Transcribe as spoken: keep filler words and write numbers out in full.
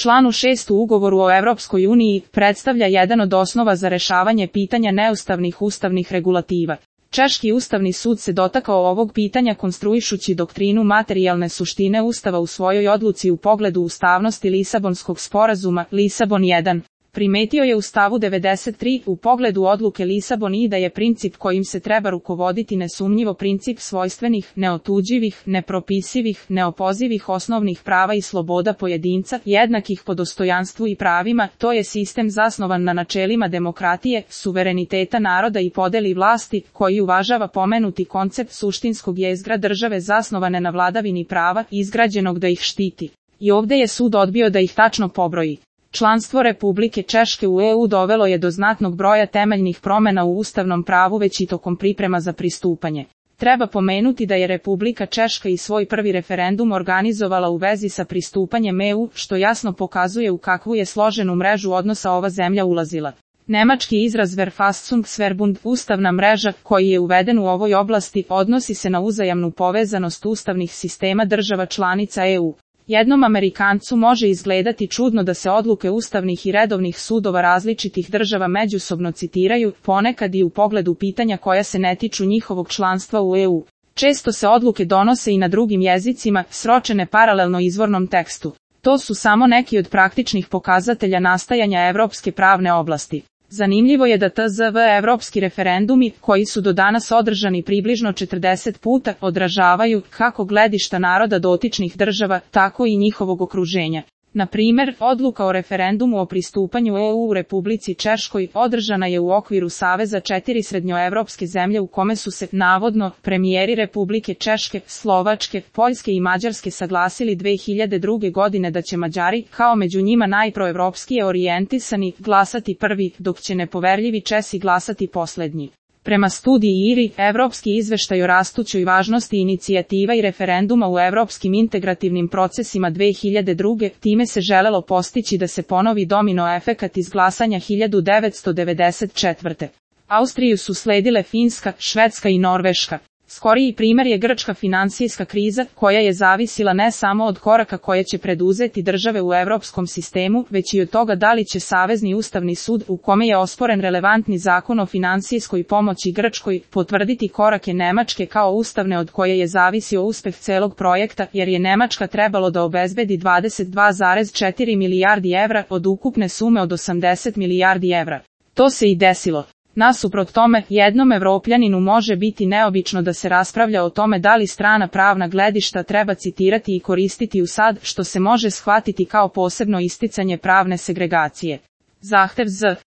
članu šest u ugovoru o Evropskoj uniji, predstavlja jedan od osnova za rešavanje pitanja neustavnih ustavnih regulativa. Češki ustavni sud se dotakao ovog pitanja konstruišući doktrinu materijalne suštine Ustava u svojoj odluci u pogledu ustavnosti Lisabonskog sporazuma, Lisabon jedan. Primetio je u stavu devedeset tri u pogledu odluke Lisabon i da je princip kojim se treba rukovoditi nesumnjivo princip svojstvenih, neotuđivih, nepropisivih, neopozivih osnovnih prava i sloboda pojedinca, jednakih po dostojanstvu i pravima, to je sistem zasnovan na načelima demokratije, suvereniteta naroda i podeli vlasti, koji uvažava pomenuti koncept suštinskog jezgra države zasnovane na vladavini prava, izgrađenog da ih štiti. I ovde je sud odbio da ih tačno pobroji. Članstvo Republike Češke u E U dovelo je do znatnog broja temeljnih promena u ustavnom pravu već i tokom priprema za pristupanje. Treba pomenuti da je Republika Češka i svoj prvi referendum organizovala u vezi sa pristupanjem E U, što jasno pokazuje u kakvu je složenu mrežu odnosa ova zemlja ulazila. Nemački izraz Verfassungsverbund, ustavna mreža, koji je uveden u ovoj oblasti, odnosi se na uzajamnu povezanost ustavnih sistema država članica E U. Jednom Amerikancu može izgledati čudno da se odluke ustavnih i redovnih sudova različitih država međusobno citiraju, ponekad i u pogledu pitanja koja se ne tiču njihovog članstva u E U. Često se odluke donose i na drugim jezicima, sročene paralelno izvornom tekstu. To su samo neki od praktičnih pokazatelja nastajanja evropske pravne oblasti. Zanimljivo je da T Z V evropski referendumi, koji su do danas održani približno četrdeset puta, odražavaju kako gledišta naroda dotičnih država, tako i njihovog okruženja. Na primer, odluka o referendumu o pristupanju E U u Republici Češkoj održana je u okviru Saveza četiri srednjoevropske zemlje u kome su se, navodno, premijeri Republike Češke, Slovačke, Poljske i Mađarske saglasili dve hiljade druge. godine da će Mađari, kao među njima najproevropskije orijentisani, glasati prvi, dok će nepoverljivi Česi glasati poslednji. Prema studiji I R I, Evropski izveštaj o rastućoj važnosti inicijativa i referenduma u evropskim integrativnim procesima dve hiljade druge. time se želelo postići da se ponovi domino efekat iz glasanja hiljadu devetsto devedeset četvrte. Austriju su sledile Finska, Švedska i Norveška. Skoriji primer je grčka finansijska kriza, koja je zavisila ne samo od koraka koje će preduzeti države u evropskom sistemu, već i od toga da li će Savezni ustavni sud, u kome je osporen relevantni zakon o finansijskoj pomoći Grčkoj, potvrditi korake Nemačke kao ustavne od koje je zavisio uspeh celog projekta, jer je Nemačka trebalo da obezbedi dvadeset dva zarez četiri milijardi evra od ukupne sume od osamdeset milijardi evra. To se i desilo. Nasuprot tome, jednom Evropljaninu može biti neobično da se raspravlja o tome da li strana pravna gledišta treba citirati i koristiti u sad, što se može shvatiti kao posebno isticanje pravne segregacije. Zahtev Z